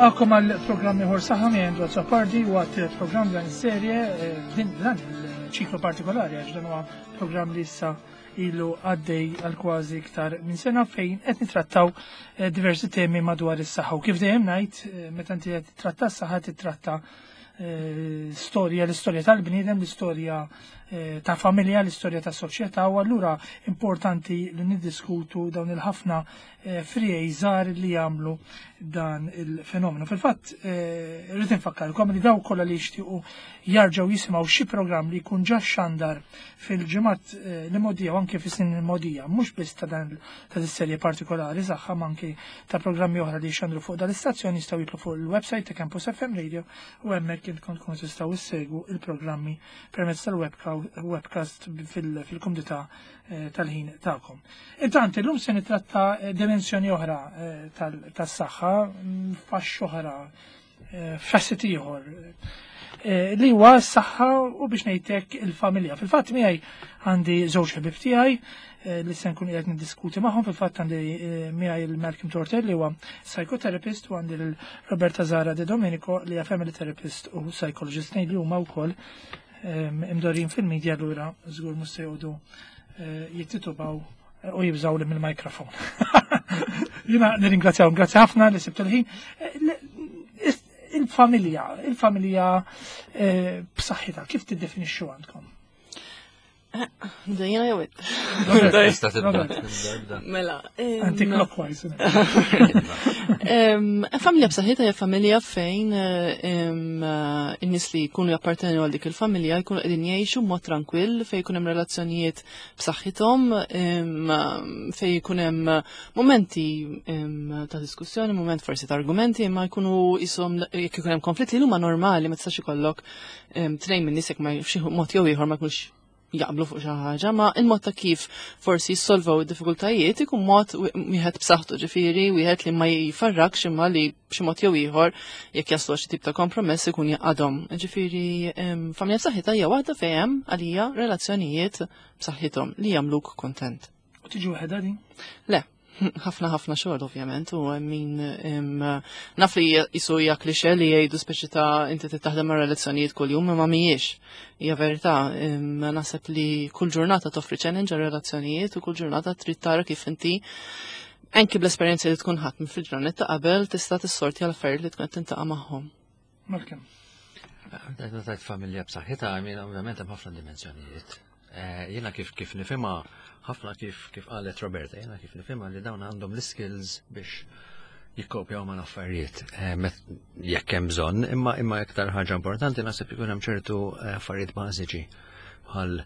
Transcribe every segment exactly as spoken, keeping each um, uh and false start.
Nilqagħkom għal programm ieħor Saħħa miegħi Andrew Azzopardi u għat programm dan is-serje eh, din dan il-ċiklu partikolari, għax dan huwa programm li issa ilu għaddej għal kważi iktar minn sena, fejn qed nitrattaw eh, diversi temi madwar is-saħħa. U kif dejjem ngħid, eh, meta inti qed titratta s-saħħa, titratta storja, l-istorja tal-bniedem, l-istorja ta' familja, l-istorja ta' soċjetà, u allura importanti li niddiskutu dawn il-ħafna friegħi żgħar li jagħmlu dan il-fenomenu. Fil-fatt, rrid infakkarkom li daw kollha li jixtiequ jarġgħu jisimgħu xi programm li jkun ġa xandar fil-ġimgħat li mogħdija u anke fis-snin il-mogħdija, mhux biss ta' dan ta' serje partikolari Saħħa, ma anke ta' programmi oħra li xandru fuq dal-istazzjon, jistgħu jidħlu fuq il-website ta' Campus F M Radio u hemmhekk intkom tkunu tistgħu issegwu il-programmi permezz tal-webcast fil-kumdità tal-ħin tagħkom. Intant, illum se nitratta dimensjoni oħra tas-saħħa, faxxa oħra, facet ieħor li huwa s-saħħa u, biex ngħidlek, il-familja. Fil-fatt, miegħi għandi żewġ ħbieb tiegħi li se nkun qiegħed niddiskuti magħhom. Fil-fatt, għandi miegħi il-Malcolm Tortel, li huwa psychotherapist, u għandi l-Roberta Zara De Domenico, li hija family therapist u psychologist, li huma wkoll imdorrijin fil-media, allura żgur mhux se joqogħdu jittitubaw u jibżaw li mill-mikrofon. Jiena nirringrazzjaw, grazzi ħafna li sibtu l-ħin. Il-familja, il-familja b'saħħitha, kif tiddefinixxu għandkom? Dejjena jew Tista' tibda. Mela. Anti-clockwise. Familja b'saħħitha hija familja fejn in-nies li jkunu jappartenu għal dik il-familja jkunu qegħdin jgħixu b'mod trankwill, fejn jkun hemm relazzjonijiet b'saħħithom, fejn jkun hemm momenti ta' diskussjoni, moment forsi ta' argumenti, imma jkunu jisom jekk ikun hemm konflitti li huma normali. Ma tistax ikollok tnejn minn nies jekk ma xi mod jew ieħor ma jkunx jaqblu fuq xi ħaġa, ma il-mod ta' kif forsi jissolvaw id-diffikultajiet ikun mod wieħed b'saħħtu, ġifieri wieħed li ma jfarrakx, imma li b'xi mod jew ieħor, jekk jaslu xi tip ta' kompromess, ikun jaqadhom. Ġifieri familja b'saħħitha hija waħda fejn hemm għalija relazzjonijiet b'saħħithom li jagħmluk kontent. U tiġi waħedha din? Le, ħafna ħafna xogħol ovvjament, u min naf li jisu hija klixe li jgħidu speċi ta' inti taħdem ma' relazzjonijiet kuljum, imma mhijiex. Hija verità, naħseb li kull ġurnata toffri challenge għal relazzjonijiet u kull ġurnata trid tara kif inti, anki bl-esperjenza li tkun ħadd minn fil-ġranet ta' qabel, tista' tissorti għal affarijiet li tkun qed tintaqa' magħhom. Malcolm. Tajt familja b'saħħitha, għamin ovvjament hemm ħafna dimensjonijiet. Eh, jiena kif kif nifhimha, ħafna kif kif qalet Roberta, jiena kif nifhimha li dawn għandhom l-skills biex jikkopjaw ma' affarijiet eh, jekk hemm bżonn, imma imma iktar ħaġa importanti naħseb ikun hemm ċertu eh, affarijiet bażiċi bħal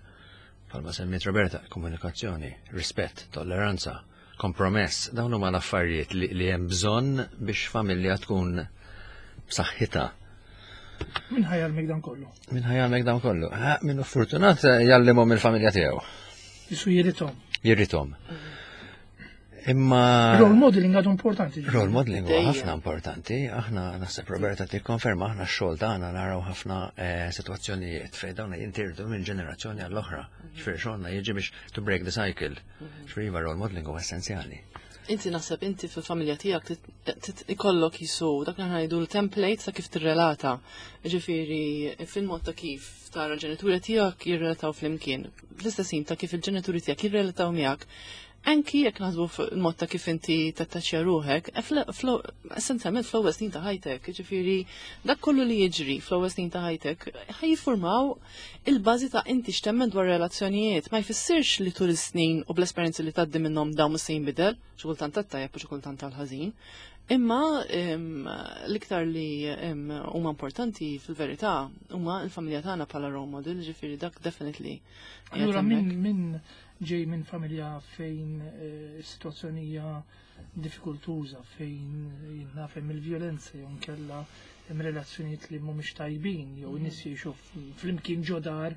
bħalma semmiet Roberta, komunikazzjoni, rispett, tolleranza, kompromess, dawn huma l-affarijiet li, li hemm bżonn biex familja tkun b'saħħitha. Min ħa jgħallmek dan kollu? Min ħa jgħallmek dan kollu? Min hu fortunat jgħallimhom il-familja tiegħu. Jisu jirithom. Jirithom. Imma. Role modeling għadu importanti. Role modeling huwa ħafna importanti. Aħna, naħseb Roberta tikkonferma, aħna x-xogħol tagħna naraw ħafna eh, sitwazzjonijiet fejn dawn jintirdu minn ġenerazzjoni għall-oħra. Ġifieri xogħolna jiġi biex to break the cycle. Ġifieri iva, role modeling huwa essenzjali. Inti naħseb inti fil-familja tiegħek ikollok jisu dak li ngħidu l-template ta' kif tirrelata. Ġifieri fil-mod ta' kif tara l-ġenituri tiegħek jirrelataw flimkien. Fl-istess ta' kif il-ġenituri tiegħek jirrelataw miegħek. Anki jekk naħsbu fil-mod ta' kif inti tattaċċja ruħek, essenzjalment fl-ewwel snin ta' ħajtek, ġifieri dak kollu li jiġri fl-ewwel snin ta' ħajtek ħa jiffurmaw il-bażi ta' inti x'temmen dwar relazzjonijiet. Ma jfissirx li tul is-snin u bl-esperjenzi li tgħaddi minnhom dawn se jinbidel, xi kultant tat-tajjeb u xi kultant tal-ħażin. Imma l-iktar li huma importanti fil-verità huma l-familja tagħna bħala role model, ġifieri dak definitely. Allura min min ġej minn familja fejn eh, is-sitwazzjoni hija diffikultuża, fejn jinnaf hemm il-vjolenza jew nkella hemm relazzjonijiet li mhumiex tajbin jew nies jgħixu flimkien ġo dar,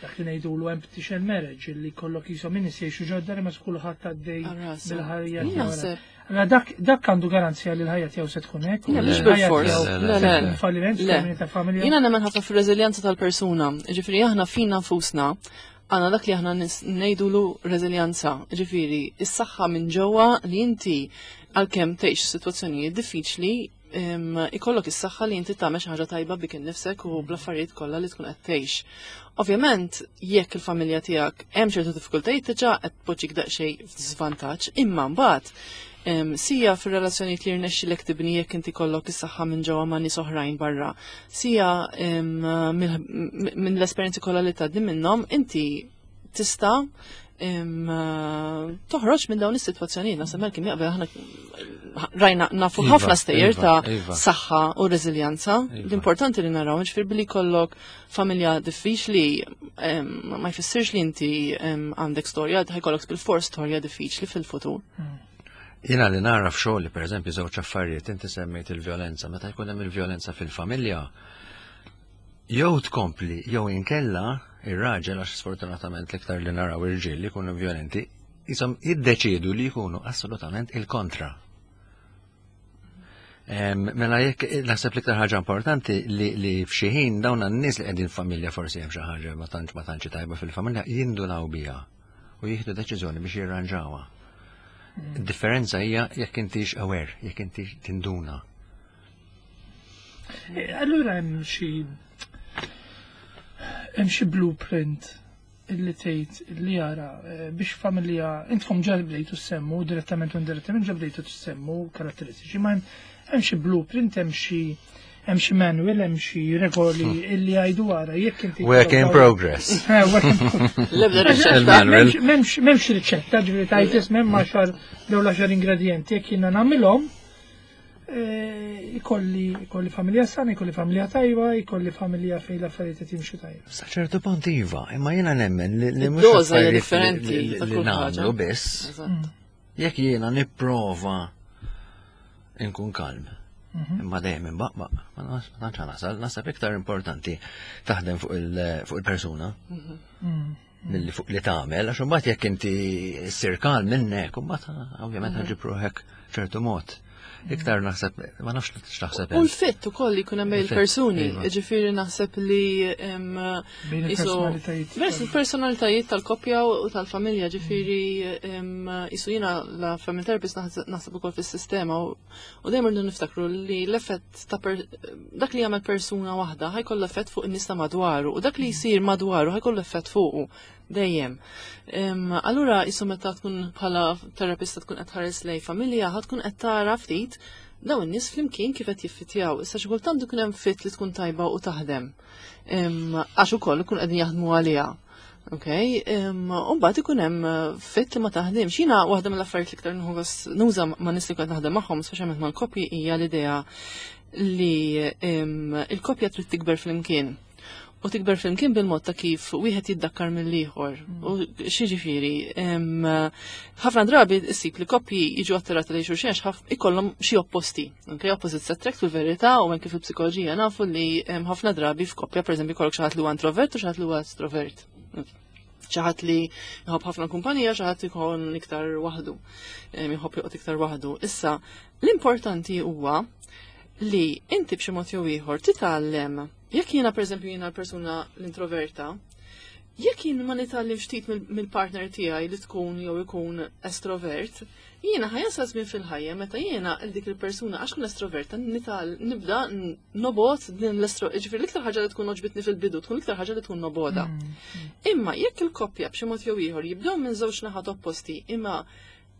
dak li ngħidulu empty shell marriage, li kollok jisom nies jgħixu ġo dar imma kulħadd għaddej bil-ħajja tiegħu. Allora dak dak għandu garanzija li l-ħajja tiegħu se tkun hekk? Le, mhux bil-fors. Le, le. Falliment Le. ta' familja. Jiena nemmen ħafna fir-reżiljenza tal-persuna. Ġifieri aħna fina nfusna għandna dak li aħna ngħidulu reżiljenza. Ġifieri, is-saħħa minn ġewwa li inti għalkemm tgħix sitwazzjonijiet diffiċli ikollok is-saħħa li inti tagħmel xi ħaġa tajba bik innifsek u bl-affarijiet kollha li tkun qed tgħix. Ovvjament, jekk il-familja tiegħek hemm ċertu diffikultajiet diġà qed tpoġġik daqsxejn f'diżvantaġġ, imma mbagħad sija fir-relazzjonijiet li rnexxilek tibni jekk inti kollok is-saħħa minn ġewwa ma' nies oħrajn barra, sija minn l-esperjenzi kollha li tgħaddi minnhom, inti tista' toħroġ minn dawn is-sitwazzjonijiet. Naħseb Malcolm jaqbel, aħna rajna nafu iva, ħafna stejjer iva, ta' iva. saħħa u reżiljanza. L-importanti li naraw ġifier billi kollok familja diffiċli ma jfissirx li inti għandek storja, ħa jkollok bil-fors storja diffiċli fil-futur. Hmm. Jiena li nara f'xogħli, pereżempju, żewġ affarijiet. Inti semmejt il-vjolenza, meta jkun hemm il-vjolenza fil-familja, jew tkompli jew inkella ir-raġel, għax sfortunatament l-iktar li naraw irġiel li jkunu violenti, jisom jiddeċidu li jkunu assolutament il-kontra. Mela jekk naħseb l-iktar ħaġa importanti li, li f'xi ħin dawn n-nies li qegħdin familja forsi hemm xi ħaġa ma tantx ma tantx tajba fil-familja jindunaw biha u jieħdu deċiżjoni biex jirranġawha. Mm. Differenza hija jekk intix aware, jekk intix tinduna. E, allura hemm xi hemm xi blueprint illi tgħid li jara eh, biex familja, intkom ġa bdejtu semmu direttament u indirettament ġa bdejtu semmu karatteristiċi, ma hemm xi blueprint, hemm xi hemm xi manual, hemm xi regoli hmm. illi jgħidu wara jekk inti Work in progress. Eh, work in L-ebda riċetta. M'hemmx riċetta, ġifieri tajt ismem għaxar dawn l-għaxar ingredienti jekk jiena nagħmilhom eh, ikolli ikolli familja sana, ikolli familja tajba, ikolli familja fejn l-affarijiet qed jimxu tajba. Sa ċertu punt iva, imma jiena nemmen li li mhux Id-doża hija affarijiet li- differenti li- ta' li kull ħaġa. nagħmlu biss. Eżatt. Jekk jiena nipprova nkun kalm. Imma dejjem imbaqbaq, ma nas- ma tantx nasal, naħseb iktar importanti taħdem fuq il- fuq il-persuna milli fuq li tagħmel, għax imbagħad jekk inti ssir kalm minnek, imbagħad ovvjament ħa ġġib ruħek ċertu mod. Iktar naħseb, ma nafx x'taħseb U int. l-fit ukoll li jkun hemm Il-fit, il-persuni, iva. ġifieri naħseb li em, Bejn isu- il-personalitajiet. Vers il-personalitajiet tal-koppja u tal-familja, ġifieri em, isu jiena la family therapist naħseb naħseb ukoll fis-sistema u u dejjem irridu niftakru li l-effett ta' per, dak li jagħmel persuna waħda ħa jkollu effett fuq in-nies ta' madwaru u dak li jsir madwaru ħa jkollu effett fuqu dejjem. Em, Allura isu meta tkun bħala terapista tkun qed tħares lej familja, ħa tkun qed tara ftit dawn in-nies flimkien kif qed jiffitjaw. Issa xi kultant ikun hemm fit li tkun tajba u taħdem. Em, Għax ukoll ikun qegħdin jaħdmu għaliha. Ok, u mbagħad ikun hemm fit li ma taħdimx. Jiena waħda mill-affarijiet li iktar nieħu gost nuża ma' nies li kont naħdem magħhom, speċjalment mal-koppji, hija l-idea li em, il-koppja trid tikber flimkien. U tikber flimkien bil-mod ta' kif wieħed jiddakkar mill-ieħor. U xi em, ħafna drabi issib li koppji jiġu attirati lejn xulxin għax ħaf- ikollhom xi opposti. Okay, opposites attract fil-verità, u anke fil-psikoloġija nafu li em, ħafna drabi f'koppja, pereżempju, jkollok xi ħadd li huwa introvert u xi ħadd li huwa estrovert. Xi ħadd li jħobb ħafna kumpanija, xi ħadd ikun iktar waħdu, em, jħobb joqgħod iktar waħdu. Issa, l-importanti huwa li inti b'xi mod jew ieħor titgħallem. Jekk jiena, pereżempju, jiena l-persuna l-introverta, jekk jien ma nitgħallim ftit mill- mill-partner tiegħi li tkun jew ikun estrovert, jiena ħa jasal żmien fil-ħajja meta jiena il dik il-persuna għax kun estroverta nital nibda n- nobgħod din l-estro, ġifieri l-iktar ħaġa li tkun għoġbitni fil-bidu tkun l-iktar ħaġa li tkun nobgħodha. Imma jekk il-koppja b'xi mod jew ieħor jibdew minn żewġ naħat opposti, imma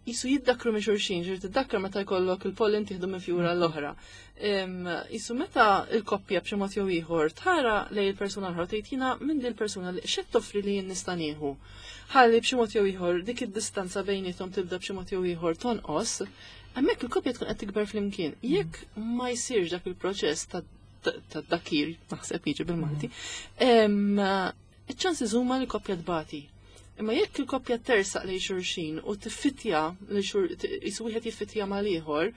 jisu jiddakru minn xulxin, ġifieri tiddakkar meta jkollok il-pollen tieħdu minn fjura l-oħra. Em, Jisu meta il-koppja b'xi mod jew ieħor tara lej il-persuna l-oħra tgħid jiena minn din il-persuna li x'qed toffri li jien nista' nieħu. Ħalli b'xi mod jew ieħor dik id-distanza bejniethom tibda b'xi mod jew ieħor tonqos, hemmhekk il-koppja tkun qed tikber flimkien. Jekk ma jsirx dak il-proċess ta' ta' dakir, naħseb jiġi bil-Malti, em, iċ-chances huma li koppja tbati. Imma jekk il-koppja tersaq lejn xulxin u tiffitja li xur jisu wieħed jiffitja mal-ieħor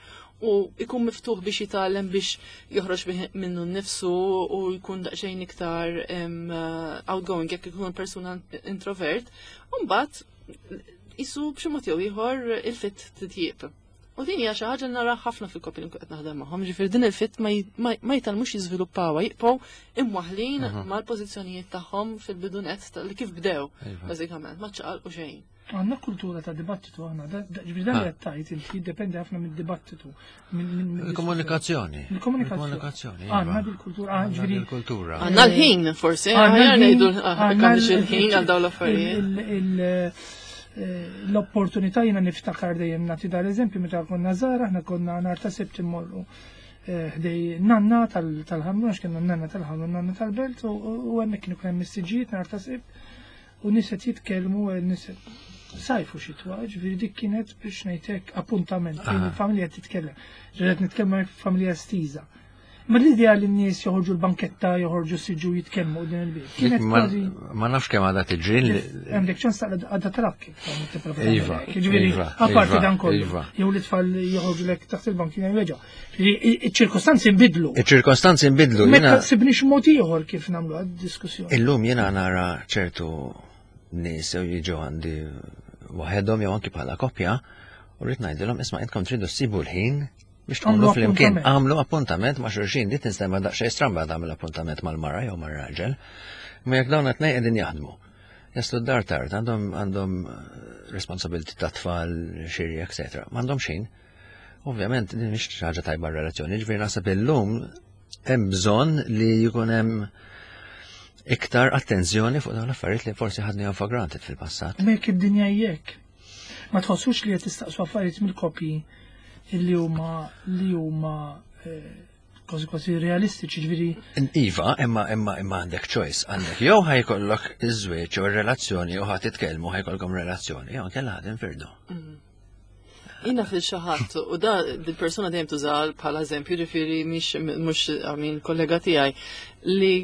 u ikun miftuħ biex jitgħallem biex joħroġ bih minnu nnifsu u jkun daqsxejn iktar em, outgoing jekk ikun persuna introvert, u mbagħad jisu b'xi mod jew ieħor il-fit titjieb. U din hija xi ħaġa li nara ħafna fil-koppji li nkun qed naħdem magħhom, ġifieri din il-fit ma j- ma ma jitgħallmux jiżviluppawha, jibqgħu imwaħlin mal-pożizzjonijiet tagħhom fil-bidunet ta' li kif bdew, Iva. bażikament, ma ċaqalqu xejn. Għandna kultura ta' dibattitu aħna, ġifieri dan li qed tgħid inti jiddependi ħafna mid-dibattitu. Il-komunikazzjoni. Il-komunikazzjoni. Għandna dil-kultura, ġifieri. Il-kultura. Għandna l-ħin forsi, għandna ngħidu il-ħin għal dawn l-affarijiet. L-opportunità jiena niftakar dejjem nagħti dal-eżempju meta konna żgħar, aħna konna nhar ta' Sibt immorru ħdejn nanna tal-Ħamrun, għax kienu nanna tal-Ħamrun, nanna tal-Belt, u hemmhekk kienu hemm mistiġijiet nhar ta' Sibt, u nies qed jitkellmu, nies sajfu xitwa, ġifieri dik kienet biex ngħidlek appuntament fejn il-familja titkellem. Ġifieri qed nitkellmu familja estiża. Ma l-idea li n-nies joħorġu l-banketta, joħorġu siġu jitkellmu din il-bib. Kienet kważi. Ma nafx kemm għadha tiġri. Għandek ċans għadha trakki. Iva. Ġifieri, apparti dan kollu. Jew li tfal joħorġu lek taħt il-bankina jweġa. Iċ-ċirkostanzi nbidlu. Iċ-ċirkostanzi nbidlu. Meta sibniex mod ieħor kif nagħmlu għad-diskussjoni. Illum jiena nara ċertu nies jew jiġu għandi waħedhom jew anki bħala koppja u rrid ngħidilhom isma' intkom tridu ssibu l-ħin biex tkunu flimkien, għamlu appuntament ma' xulxin, di tinstema' daqsxejn stramba tagħmel appuntament mal-mara jew mar-raġel. Ma jekk dawn qed qegħdin jaħdmu. Jaslu d-dar tard, għandhom għandhom responsabilità ta' tfal, xiri, eċetera. M'għandhom xejn. Ovvjament din mhix xi ħaġa tajba r-relazzjoni, ġifieri naħseb illum hemm bżonn li jkun hemm iktar attenzjoni fuq dawn l-affarijiet li forsi ħadnihom for granted fil-passat. Ma jekk id-dinja jekk. Ma tħossux li qed tistaqsu affarijiet mill-koppji illi huma li huma kważi kważi realistiċi, ġifieri. Iva, imma imma imma għandek choice, għandek jew ħa jkollok iż-żwieġ jew ir-relazzjoni jew ħa titkellmu ħa jkollkom relazzjoni, jew inkella ħa tinfirdu. Jiena fil xi ħadd, u da dil-persona dejjem tuża bħala eżempju, ġifieri mhix mhux għamin kollega tiegħi li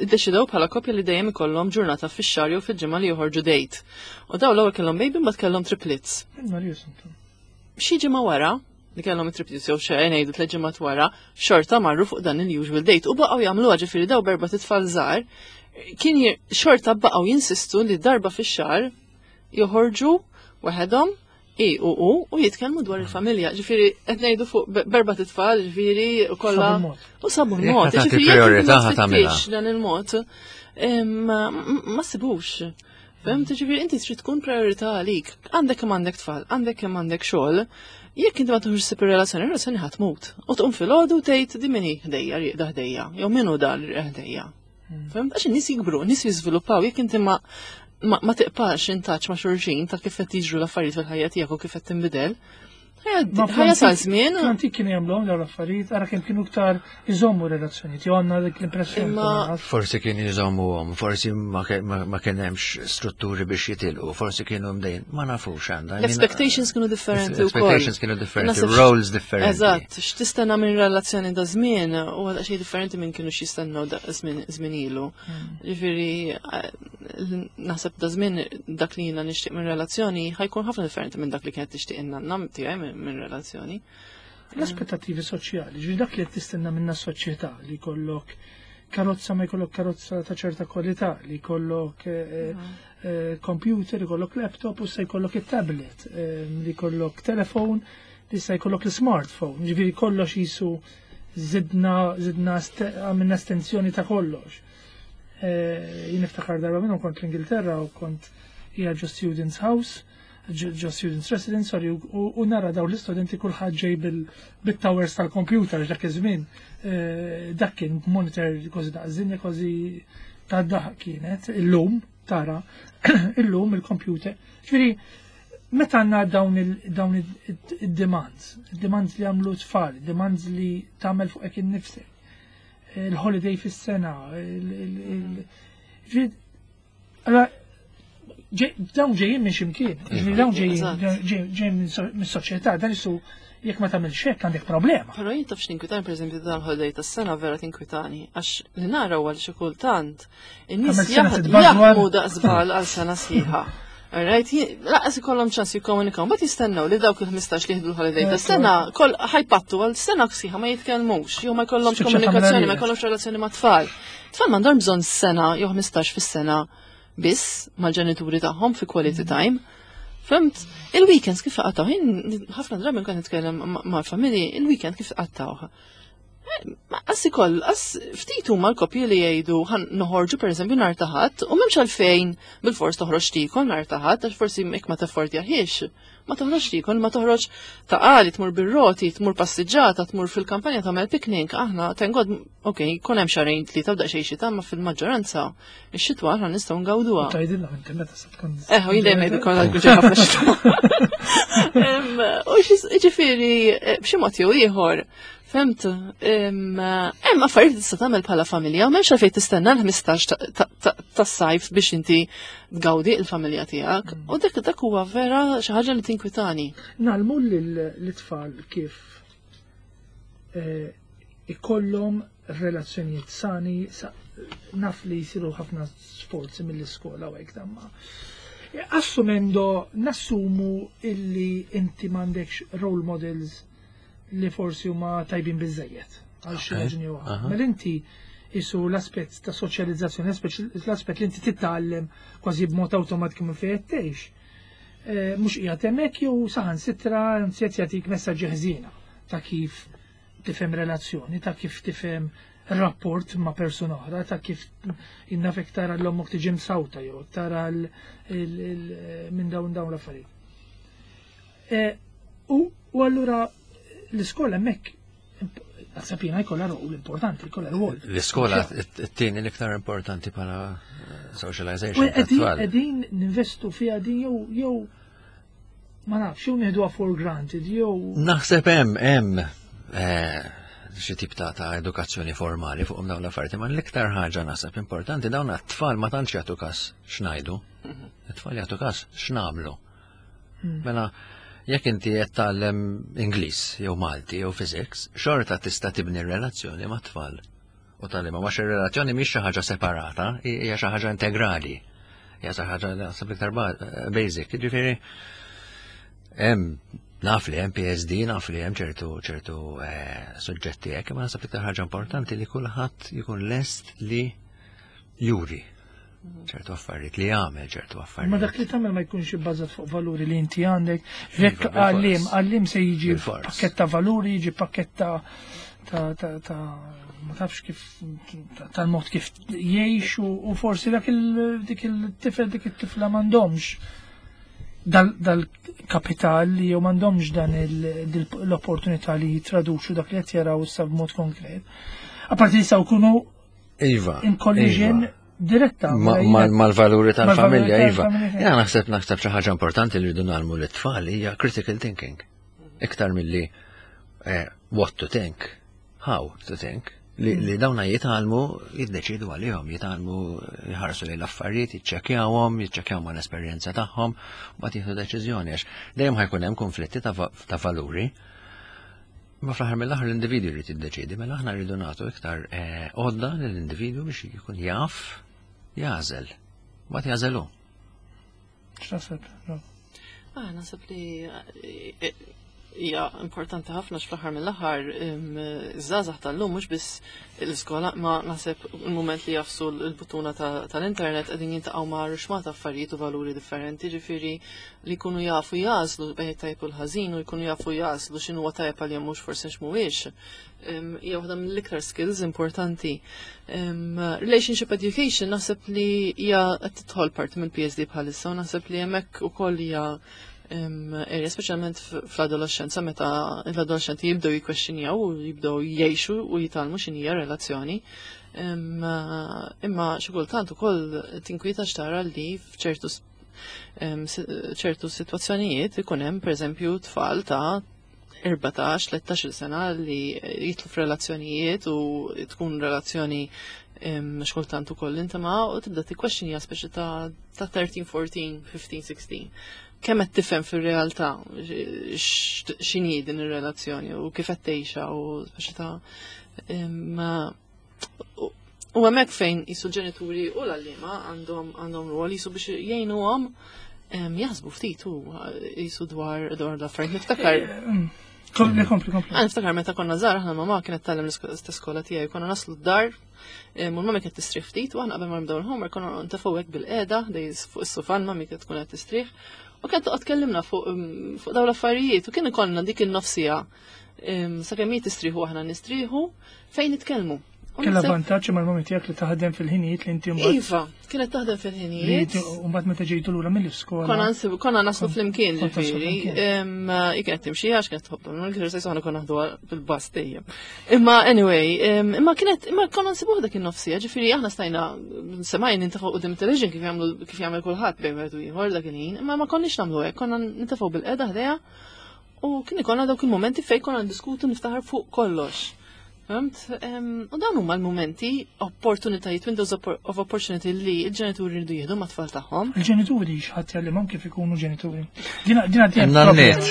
iddeċidew bħala koppja li dejjem ikollhom ġurnata fix-xahar jew fil-ġimgħa li joħorġu date. U daw l-ewwel kellhom baby mbagħad kellhom triplets. Xi ġimgħa wara li kellhom it-triplets jew xi ngħidu tliet ġimgħat wara, xorta marru fuq dan il-usual date u baqgħu jagħmluha ġifieri daw b'erbat itfal żgħar kien xorta baqgħu jinsistu li darba fix-xahar joħorġu waħedhom i u u u jitkellmu dwar il-familja. Ġifieri qed ngħidu fuq b'erbat itfal, ġifieri u kollha u sabu l-mod. Ġifieri priorità tagħmilha. Dan il-mod ma sibux. Fhimt, ġifieri inti trid tkun priorità għalik. Għandek kemm għandek tfal, għandek kemm għandek xogħol. Jekk inti ma tieħux ħsieb ir-relazzjoni, ir-relazzjoni ħa tmut. U tqum filgħodu tgħid di min hi ħdejja, rieqda ħdejja, jew min hu dan ħdejja. Fhimt, għax in-nies jikbru, n-nies jiżviluppaw, jekk inti ma ma tiqpax in touch ma' xulxin ta' kif qed jiġru l-affarijiet fil-ħajja tiegħek u kif qed tinbidel. Ħajja ta' żmien. Fl-antik kienu jagħmluhom dawn l-affarijiet, ara kemm kienu iktar iżommu relazzjonijiet, jew għandna dik l-impressjoni. Forsi kienu jżommuhom, forsi ma kien hemmx strutturi biex jitilqu, forsi kienu mdejn, ma nafux għandha. L-expectations kienu differenti wkoll. Expectations kienu differenti, roles differenti. Eżatt, x'tistenna minn relazzjoni da żmien u għadha xejn differenti minn kienu x'jistennew da żmien ilu. Ġifieri naħseb da żmien dak li jiena nixtieq minn relazzjoni ħa jkun ħafna differenti minn dak li kienet tixtieq in-nanna tiegħi minn relazzjoni. L-aspettativi soċjali, ġifieri dak li qed tistenna minna s-soċjetà li jkollok karozza ma jkollok karozza ta' ċerta kwalità, li jkollok computer, li jkollok laptop u se jkollok it-tablet, li jkollok telefon, li se jkollok l-smartphone, ġifieri kollox jisu zidna, zidna għamilna estensjoni ta' kollox. Jien niftakar darba minnhom kont l-Ingilterra u kont hija ġo Students House, ġo Students Residence, sorry, u nara daw l-istudenti kulħadd ġej bil-towers tal-computer dak iż-żmien. Dak kien monitor kważi daqs kważi ta' daħ kienet, illum tara, illum il-computer. Ġifieri, meta għandna dawn id-demands, demands li għamlu tfal, demands li tagħmel fuqek innifsek, il-holiday fis-sena, ġifieri, allora dawn ġejjin minn ximkien, ġifieri dawn ġejjin ġejjin mis-soċjetà, dan isu jekk ma tagħmilx hekk għandek problema. Però jien taf x'tinkwitani pereżempju dan il-holiday tas-sena vera tinkwitani, għax li nara huwa li xi kultant in-nies jaħdmu daqsbal għal sena sħiħa. Alright, lanqas ikollhom ċans jikkomunikaw, mbagħad jistennew li dawk il-ħmistax li jieħdu l-holiday tas-sena kol ħa jpattu għal sena sħiħa ma jitkellmux, jew ma jkollhomx komunikazzjoni, ma jkollhomx relazzjoni ma' tfal. Tfal m'għandhom bżonn sena jew ħmistax fis-sena biss mal-ġenituri tagħhom fi quality time. Fhimt, il-weekends kif qattgħu, ħafna drabi nkun nitkellem mal-familji, il-weekend kif qattgħu. Ma Għas ikoll, għas ftit huma l-koppji li jgħidu ħa noħorġu pereżempju nhar ta' Ħadd u m'hemmx għalfejn bil-fors toħroġ tiekol nhar ta' Ħadd għax forsi jekk ma taffordjahiex. Ma toħroġ tiekol, ma toħroġ ta' qali, tmur bir-roti, tmur passiġġata, tmur fil-kampanja tagħmel picnic, aħna thank God, ok, kun hemm xahrejn tlieta u daqsxejn xita, ma fil-maġġoranza ix-xitwa aħna nistgħu ngawduha. Tgħidilna inti meta se tkun. Eh, u jien dejjem ngħidu konna ġej ħafna xita. Em, U ġifieri, eh, b'xi mod jew ieħor, fhimt, em, hemm affarijiet li tista' tagħmel bħala familja, u m'hemmx għalfejn tistenna l-ħmistax ta- ta- ta- tas-sajf biex inti tgawdi il-familja tiegħek. U dak dak huwa vera xi ħaġa li tinkwitani. Ngħallmu l-tfal kif eh, ikollhom relazzjonijiet sani, sa- naf li jisiru ħafna sforzi mill-iskola u hekk damma. Assumendo, nassumu illi inti m'għandekx role models li forsi huma tajbin biżejjed għal xi Ok, raġuni jew oħra. aha. Mela inti isu l-aspett ta' soċjalizzazzjoni, l-aspett li inti titgħallem kważi b'mod awtomatiku minn fejn qed tgħix. Eh, Mhux qiegħed hemmhekk jew saħansitra anzi qed jagħtik messaġġi ħżiena ta' kif tifhem relazzjoni, ta' kif tifhem rapport ma' persuna oħra, ta' kif innafek tara l-ommok tiġi msawta jew tara l- il- il- minn dawn dawn l-affarijiet. Eh, U u allura l-iskola hemmhekk naħseb jiena jkollha rol importanti, jkollha rwol. L-iskola t-tieni l-iktar importanti bħala eh, socialization U qegħdin tat-tfal. qegħdin ninvestu fiha din jew jew ma nafx jew nieħduha for granted jew Naħseb hemm hemm eh, xi tip ta' ta' edukazzjoni formali fuq dawn l-affarijiet, ma l-iktar ħaġa naħseb importanti dawn għat-tfal ma tantx jagħtu każ x'ngħidu. It-tfal jagħtu każ x'nagħmlu. Mela jekk inti qed tgħallem Ingliż jew Malti jew Physics, xorta tista' tibni relazzjoni mat-tfal. U tgħallimha għax ir-relazzjoni mhix xi ħaġa separata, hija xi ħaġa integrali. Hija xi ħaġa naħseb iktar ba- basic. Ġifieri hemm naf li hemm P S D, naf li hemm ċertu ċertu eh, suġġetti hekk, imma naħseb iktar ħaġa importanti li kulħadd jkun lest li juri ċertu affarijiet, li jagħmel ċertu affarijiet. Ma dak li tagħmel ma jkunx ibbażat fuq valuri li inti għandek. Jekk Iva, bil-fors. għallim, għallim se jiġi Bil-fors. pakketta valuri, jiġi pakketta ta' ta' ta' ma tafx kif tal-mod kif jgħix u u forsi dak il dik il-tifel dik it-tifla m'għandhomx dal-kapital li jew m'għandhomx dan il- dil- l-opportunità li jitraduċu dak li qed jaraw issa b'mod konkret. Apparti li jistgħu jkunu Iva. in collision Iva. diretta. Ma- mela mal- jiena- Mal-valuri tal-familja, mal-valuri iva. tal-familja. Jena naħseb naħseb xi ħaġa importanti li rridu ngħallmu lit-tfal hija critical thinking. Iktar milli eh, what to think, how to think. Li, li dawna jitgħallmu jiddeċidu għalihom, jitgħallmu jħarsu lejn l-affarijiet, jiċċekkjawhom, jiċċekkjaw mal esperjenza tagħhom, u mbagħad jieħdu deċiżjoni għax dejjem ħa jkun hemm konflitti ta' va- ta' valuri. Ma fl-aħħar mill-aħħar l-individwu jrid jiddeċidi, mela aħna rridu nagħtu iktar eh, għodda lill-individwu biex jkun jaf jagħżel. Mbagħad jagħżel hu. X'taħseb? No. Ah, naħseb li eh, hija importanti ħafna fl-aħħar mill-aħħar iż-żgħażagħ tal-lum mhux biss l-iskola ma naħseb il-mument li jagħfsu l-buttuna ta- tal-internet qegħdin jiltaqgħu ma' ruxxmata affarijiet u valuri differenti, ġifieri li jkunu jafu jagħżlu bejn tajb u l-ħażin u jkunu jafu jagħżlu x'inhu huwa tajjeb għalihom mhux forsi x'mhuwiex. Em, Hija waħda mill-iktar skills importanti. Em, Relationship education naħseb li hija qed tidħol parti mill-P S D bħalissa u naħseb li hemmhekk ukoll hija em, area, speċjalment f- fl-adolescenza meta l-adolescenti jibdew jikkwestjonjaw u jibdew jgħixu u jitgħallmu x'inhija relazzjoni. Em, Imma xi kultant ukoll tinkwieta x'tara li f'ċertu s- em, si- ċertu sitwazzjonijiet ikun hemm pereżempju tfal ta' erbatax, tlettax-il sena li jidħlu f'relazzjonijiet u tkun relazzjoni em, xkultant ukoll intima u tibda tikkwestjonja speċi ta' ta' tlettax, erbatax, ħmistax, sittax. Kemm qed tifhem fir-realtà x- x'inhi din ir-relazzjoni u kif qed tgħixha u speċi ta' em, u- U hemmhekk fejn jisu l-ġenituri u l-għalliema għandhom għandhom rwol jisu biex jgħinuhom em, jaħsbu ftit u jisu dwar dwar l-affarijiet. Niftakar Kompli, kompli, kompli. Għan niftakar meta konna żgħar aħna mamma kienet tgħallem l-iskola tiegħi, konna naslu d-dar, em, u l-mami kienet tistrieħ ftit u aħna qabel ma nibdew il-homework konna ntefgħu hekk bil-qiegħda dej fuq is-sufan, mami kienet tkun qed tistrieħ U kienet toqgħod tkellimna fuq fuq dawn l-affarijiet u kien ikollna dik in-nofs siegħa sakemm hi tistrieħu, aħna nistrieħu, fejn nitkellmu. U Kella naħseb- vantaġġ mal-mami tiegħek li taħdem fil-ħinijiet li inti mbagħad Iva, kienet taħdem li fil-ħinijiet. inti mbagħad meta ġejtu lura mill-iskola. Konna nsibu, konna naslu flimkien Kont taslu ġifieri. flimkien. Em, Hi kienet timxi għax kienet tħobb l-exercise, aħna konna naħdu bil-bus dejjem. Imma anyway, em, imma kienet, imma konna nsibuh dak in-nofs siegħa, ġifieri aħna stajna semajn nintefgħu quddiem television kif jagħmlu kif jagħmel kulħadd bejn wieħed u ieħor dak il-ħin, imma ma konniex nagħmlu hekk, konna nintefgħu bilqiegħda ħdejha u kien ikollna dawk il-momenti fejn konna ndiskutu, niftaħar fuq kollox. Fhimt? Em, U dawn huma l-momenti, opportunitajiet, windows oppor- of opportunity li l-ġenituri jridu jieħdu mat-tfal tagħhom. Il-ġenituri x'ħadd jgħallimhom kif ikunu ġenituri? Dina dina dina Nanniet.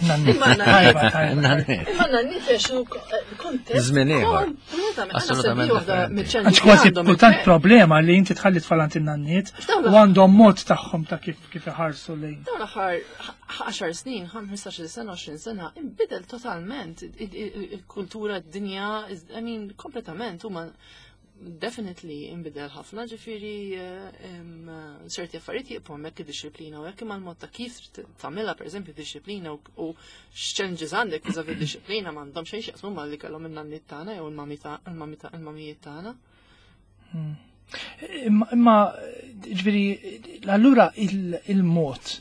Nanniet. Tajba, tajba. Nanniet. Imma nanniet għexu kuntest. Żmien ieħor. Kompletament. Assolutament differenti. Għax kważi kultant problema li inti tħalli tfal għand in-nanniet X'dawn u għandhom mod tagħhom ta' kif kif iħarsu lejn. Dawn l-aħħar għaxar snin, ħmistax-il sena, għoxrin sena, inbidel totalment il-kultura, d-dinja, I mean, kompletament, huma definitely inbidel ħafna, ġifieri eh, em, ċerti affarijiet jibqgħu hemmhekk, id-dixxiplina u hekk, imma l-mod ta' kif tagħmilha, pereżempju dixxiplina u u x'challenges għandek vis-à-vis dixxiplina, m'għandhom xejn x'jaqsmu ma' li kellhom in-nanniet tagħna jew il-mami ta' il-mami ta' il-mamijiet tagħna. Imma, imma ġifieri, allura il- il-mod,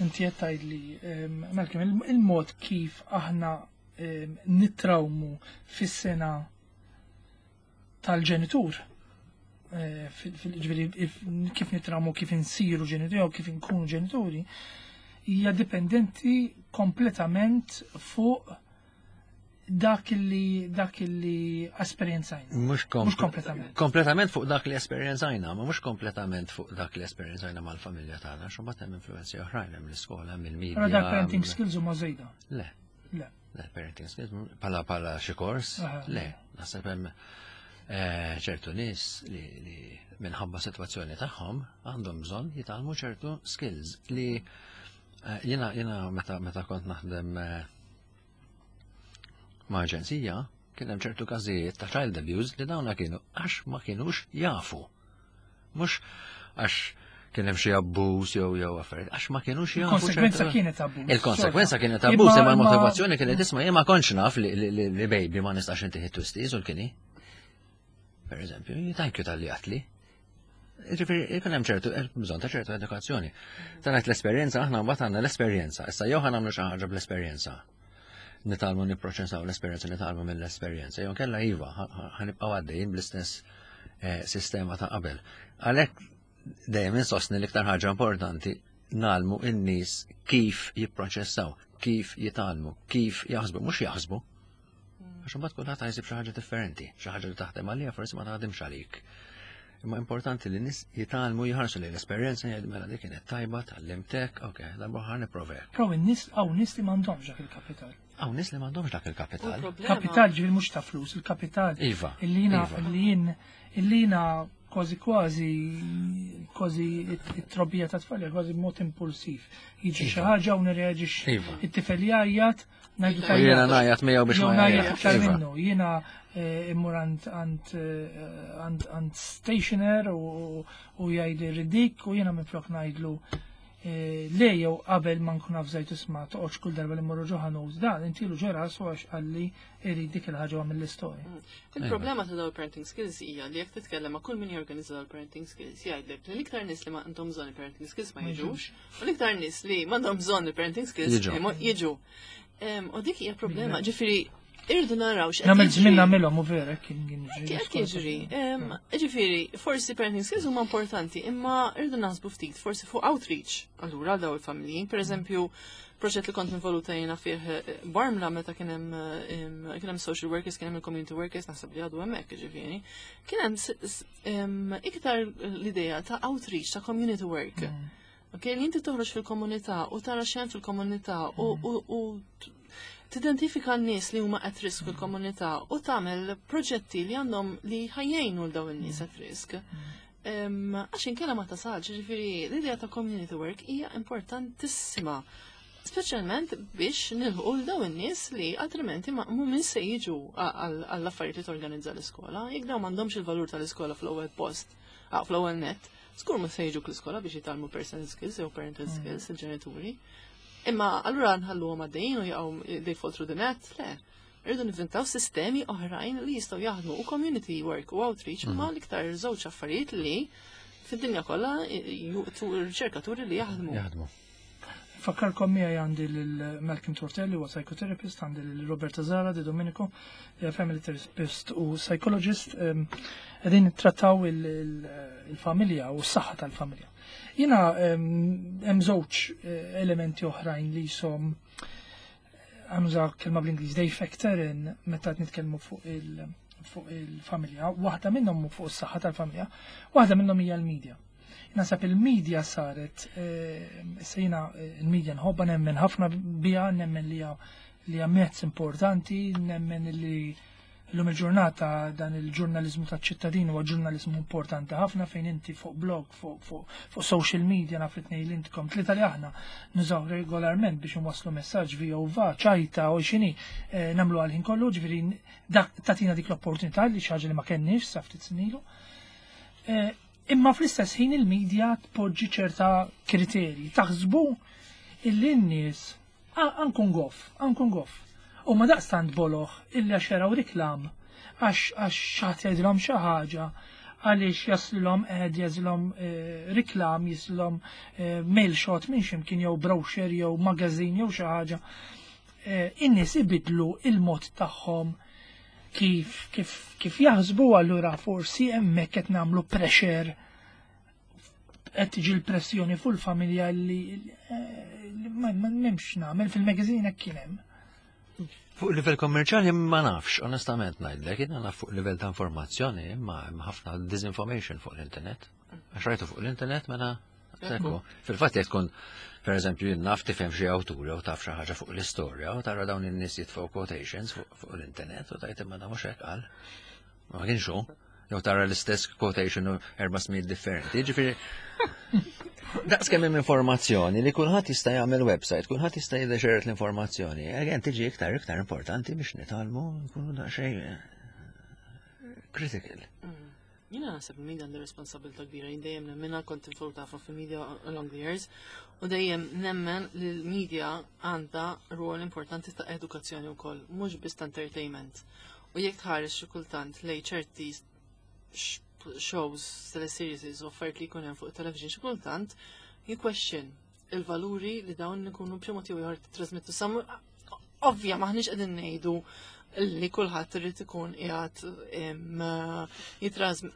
inti qed tgħidli, em, Malcolm, il- il-mod kif aħna em, nitrawmu fis-sena tal-ġenitur, eh, fil- fil- ġifieri, if- kif nitrawmu, kif insiru ġenituri jew kif inkunu ġenituri, hija dipendenti kompletament fuq dak li dak li esperjenzajna. Mhux Mhux kompletament. Kompletament fuq dak li esperjenzajna, ma mhux kompletament fuq dak li esperjenzajna mal-familja tagħna, xo mbagħad hemm influenzi oħrajn, hemm l-iskola, hemm il-media. Però dak parenting hemm- skills huma żejda. Le, Le. le, parenting skills pala pala xi kors, Aha. le, naħseb hemm eh, ċertu nies li, li minħabba sitwazzjoni tagħhom għandhom bżonn jitgħallmu ċertu skills li eh, jiena jiena meta meta kont naħdem eh, ma' aġenzija, kien hemm ċertu każijiet ta' child abuse li dawna kienu għax ma kienux jafu. Mhux għax kien hemm xi abbuż jew jew affarijiet, għax ma kienux jafu. Il-konsekwenza ċertu- kienet abbuż. Il-konsekwenza xorta. kienet abbuż, imma Imma- l-motivazzjoni kienet, isma', jien ma kontx naf li, li, li, li baby ma nistax intihi twisties u l-kini. Per eżempju, thank you talli għedtli. Ġifieri, jkun hemm ċertu, hemm bżonn ta' ċertu edukazzjoni. Tanat l-esperjenza, aħna mbagħad għandna l-esperjenza. Issa jew ħa nagħmlu xi ħaġa bl-esperjenza. Nitgħallmu nipproċessaw l-esperjenza, nitgħallmu mill-esperjenza. Jew kella iva, ħa nibqgħu għaddejjin bl-istess eh, sistema ta' qabel. Għalhekk dejjem insostni l-iktar ħaġa importanti ngħallmu in-nies kif jipproċessaw, kif jitgħallmu, kif jaħsbu, mhux jaħsbu. Għax imbagħad kulħadd ħa jsib xi ħaġa differenti, xi ħaġa li taħdem għalija forsi ma taħdimx għalik. Imma importanti li nies jitgħallmu jħarsu li l-esperjenza, jgħidu, mela dik kienet tajba, tgħallimtek, ok, darba ħa nipprovek. Però in-nies hawn nies li m'għandhomx dak il-kapital. Hawn nies li m'għandhomx dak il-kapital. Kapital ġifieri mhux ta' flus, il-kapital. Iva, Illi jiena iva. illi jien illi jiena kważi kważi kważi it-trobbija ta' tfal hija kważi b'mod impulsiv. Jiġi xi Iva. ħaġa u nirreaġixxi. Iva. It-tifel jgħajjat, ngħidu U jiena ngħajjat miegħu biex Jew ma ngħajjat jgħajjatx. iktar Iva. minnu. Jiena eh, immur għand għand eh, għand għand stationer u u jgħidli ridik u jiena minflok ngħidlu eh, le jew qabel ma nkun avżajt, isma', toqgħodx kull darba li mmorru ġo ħanut dan intilu ġo rasu għax qalli irid dik il-ħaġa mill-istorja. Il-problema ta' dawn parenting skills hija li jekk titkellem ma' kull min jorganizza dawn parenting skills, jgħidlek li l-iktar nies li ma għandhom bżonn il-parenting skills ma jiġux u l-iktar nies li m'għandhom bżonn il-parenting skills Jiġu. imma jiġu. Em, U dik hija problema, ġifieri irridu naraw x'qed Nagħmel jiġri. żmien nagħmilhom u vera kien kien jiġri. Qed jiġri. Em, Ġifieri, forsi parenting skills huma importanti, imma irridu naħsbu ftit forsi fuq outreach allura għal dawn il-familji. Per eżempju, proġett li kont involuta jiena fih eh, Bormla meta kien hemm eh, em, kien hemm social workers, kien hemm il-community workers, naħseb li għadu hemmhekk ġifieri. Kien hemm s- s- em, iktar l-idea ta' outreach, ta' community work. Ok, li inti toħroġ fil-komunità u tara x'hemm fil-komunità u, u, u t- tidentifika n-nies li huma at risk fil-komunità u tagħmel proġetti li għandhom li ħa jgħinu 'l dawn in-nies at risk. Em, Għax inkella ma tasalx, ġifieri l-idea ta' community work hija importantissima. Speċjalment biex nilħu 'l dawn in-nies li altrimenti ma mhumiex se jiġu għall-affarijiet li torganizza l-iskola. Jekk dawn m'għandhomx il-valur tal-iskola fl-ewwel post. Fl-ewwel net, żgur ma se jiġu l-iskola biex jitgħallmu personal skills jew parental mm. skills il-ġenituri. Imma allura nħalluhom għaddejjin u jaqgħu they fall through the net, le. Rridu nivvintaw sistemi oħrajn li jistgħu jaħdmu u community work u outreach ma mm. l-iktar żewġ affarijiet li fid-dinja kollha riċerkaturi li jaħdmu. Jaħdmu. Fakkarkom miegħi għandi lil Malcolm Tortelli huwa psychotherapist, għandi lil Roberta Zara Di Domenico, li family therapist u psychologist, qegħdin nittrattaw il-familja u s-saħħa tal-familja. Jiena hemm żewġ eh, elementi oħrajn li jisom ħa nuża kelma bl-Ingliż they factor in meta nitkellmu fuq il- fuq il-familja, waħda minnhom fuq is-saħħa tal-familja, waħda minnhom hija l-media. Naħseb il-media saret, eh, sejna eh, il-media nħobba nemmen ħafna bija, nemmen li li hija mezz importanti, nemmen li l-lum il-ġurnata dan il-ġurnalizmu ta' ċittadin huwa ġurnalizmu importanti ħafna fejn inti fuq blog, fuq, fuq, fuq social media naf li tnejn intkom tlieta li aħna nużaw regolarment biex nwasslu messaġġ via u va, ċajta u xini eh, nagħmlu għal-ħin kollu, ġifieri dak tatina dik l-opportunità li xi ħaġa li ma kenniex sa ftit snin ilu. Eh, Imma fl-istess ħin il-medja tpoġġi ċerta kriterji. Taħsbu illi n-nies ankun goff, ankun goff. U ma daqstant boloh illi għax jaraw reklam għax għax xi ħadd jgħidilhom xi ħaġa għaliex jaslilhom qed jaslilhom eh, reklam, jaslilhom eh, mail shot minn x'imkien jew brochure jew magazine jew xi ħaġa. Eh, In-nies ibidlu il-mod tagħhom kif kif kif jaħsbu allura forsi hemmhekk qed nagħmlu pressure qed tiġi l-pressjoni fuq il-familja li li ma ma m'hemmx nagħmel fil-magazine hekk kien hemm. Fuq livell kommerċjali ma nafx, onestament ngħidlek, jiena naf fuq livell ta' informazzjoni, imma hemm ħafna disinformation fuq l-internet. Għax rajtu fuq l-internet mela Ekku. Fil-fatt jekk tkun, per eżempju, jien naf tifhem xi awtur jew taf xi ħaġa fuq l-istorja u tara dawn in-nies jitfgħu quotations fuq fuq l-internet u tgħid imma da mhux hekk qal. Ma kienx hu. Jew tara l-istess quotation u erba' smijiet differenti. Ġifieri Daqs kemm hemm informazzjoni li kulħadd jista' jagħmel website, kulħadd jista' jiddeċeret l-informazzjoni. Again tiġi iktar iktar importanti biex nitgħallmu nkunu daqsxejn eh, critical. Jiena naħseb il-media għandha responsabilità kbira, jien dejjem nemmenha kont involuta ħafna fil-media along the years, u dejjem nemmen li l-media għandha rwol importanti ta' edukazzjoni wkoll, mhux biss ta' entertainment. U jekk tħares xi kultant lej ċerti sh- shows, teleseries u affarijiet li jkun hemm fuq television xi kultant, you question il-valuri li dawn ikunu b'xi mod jew ieħor trasmettu sam ovvja maħniex qegħdin ngħidu li kulħadd irid ikun qiegħed jitrasm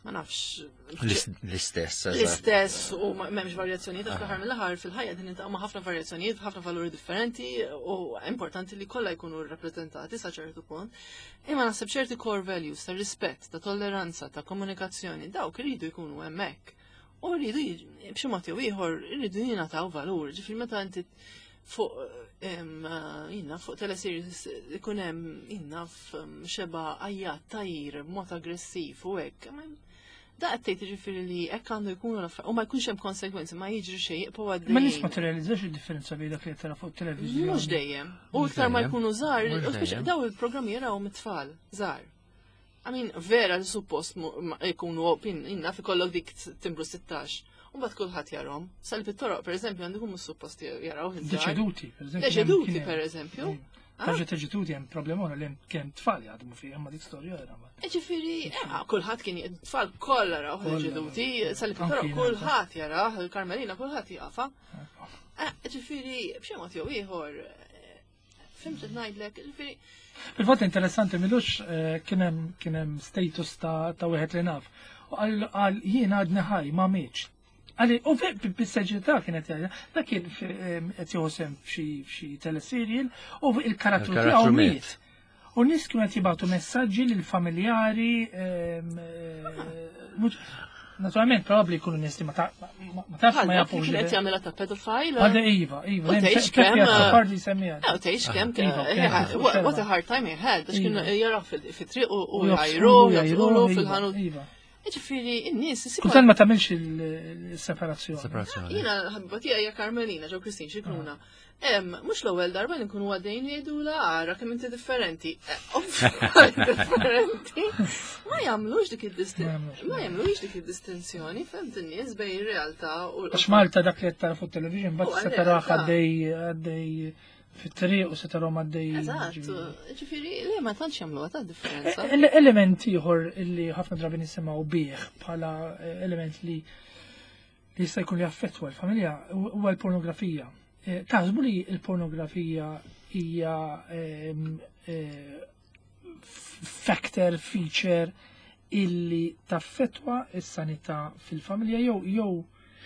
ma nafx L-istess. eżatt. l-istess u ma- m'hemmx varjazzjonijiet għax fl-aħħar mill-aħħar fil-ħajja din niltaqgħu ma' ħafna varjazzjonijiet, ħafna valuri differenti u importanti li kollha jkunu rrappreżentati sa ċertu punt. Imma naħseb ċerti core values ta' rispett, ta' tolleranza, ta' komunikazzjoni, dawk iridu jkunu hemmhekk. U rridu jiġ- b'xi mod jew ieħor iridu jingħataw valur. Ġifieri meta inti fuq em, jina fuq teleseries ikun hemm jina xeba għajjat tajir b'mod aggressiv u hekk. Ma- Da qed tgħid jiġifieri li hekk għandu jkunu l-affarijiet u ma jkunx hemm konsekwenzi, ma jiġri xejn jibqgħu għaddejjin. Ma nies ma tirrealizzax il-differenza bejn dak li qed tara fuq televiżjoni. Mhux dejjem. U Mhux iktar ma dejjem. jkunu żgħar, Mhux u speċi dejjem. daw il-programmi jaraw mit-tfal żgħar. I mean, vera li suppost mu- ma jkunu opin, inna fi kollok dik timbru sittax. U mbagħad kulħadd jarahom. Sal fit-toroq, per eżempju, għandu mhux suppost jaraw iż-żgħar. Deċeduti, per eżempju. Deċeduti, kien hemm- per eżempju. Ħaġa deċeduti hemm problema oħra li hemm kien tfal jaħdmu fih, imma dik storja oħra. ma- Ġifieri, eh, kulħadd kien tfal kollha raw Kollha. deċeduti, sal Anki fit-toroq jiena, kulħadd jaraw, il-Karmelina kulħadd jafa. Eh, Ġifieri, b'xi mod jew ieħor, eh, fimt qed ngħidlek, ġifieri, Fil-fatt interessanti milux eh, kien hemm kien hemm status ta' ta' wieħed li naf. U qal qal jiena għadni ħaj ma mietx. Għalli, u bis-seġità kienet jgħidha, dak kien fi- em, qed jieħu sehem f'xi f'xi teleserial u il-karattru Il-karattru tiegħu miet. miet. U nies kienu qed jibgħatu messaġġi lil familjari em, eh, mhux- Naturalment, probabbli jkunu nies li ma ta- ma ma tafx ma bħal dak li jafux. kien qed jagħmilha ta' pedophile. Għalda Iva, Iva, U tgħix kemm, eh, Pardi semmija. Eh, u tgħix kemm Iva, eh, kien- eh, what what a hard time he had, għax kienu Iva. jaraw fil-triq u U jgħajru, jgħajru, jgħajru fil-ħanut. Iva. Ġifieri, in-nies isibu. Kultant ma tagħmilx il-separazzjoni. Separazzjoni. Jiena ħabiba tiegħi hija Karmelina ġew Kristin Scicluna. Em, mhux l-ewwel darba li nkunu għaddejn jgħidula ara kemm inti differenti. Eh, ovvjament differenti. Ma jagħmlux dik id-distinzjoni. Ma jagħmlux dik id-distinzjoni, fhimt in-nies bejn ir-realtà u Għax Malta dak li qed tara fuq television bat U se taraħ għal-realtà. għaddej għaddej fit-triq u se tarahom għaddej. Eżatt, ġifieri le ma tantx jagħmluha ta' differenza. Ele- Element ieħor illi ħafna drabi nisimgħu bih bħala eh, element li li jista' jkun li jaffettwa l-familja huwa l-pornografija. Eh, Taħsbu li l-pornografija hija ehm, eh, factor, feature illi taffettwa s-sanità fil-familja jew jew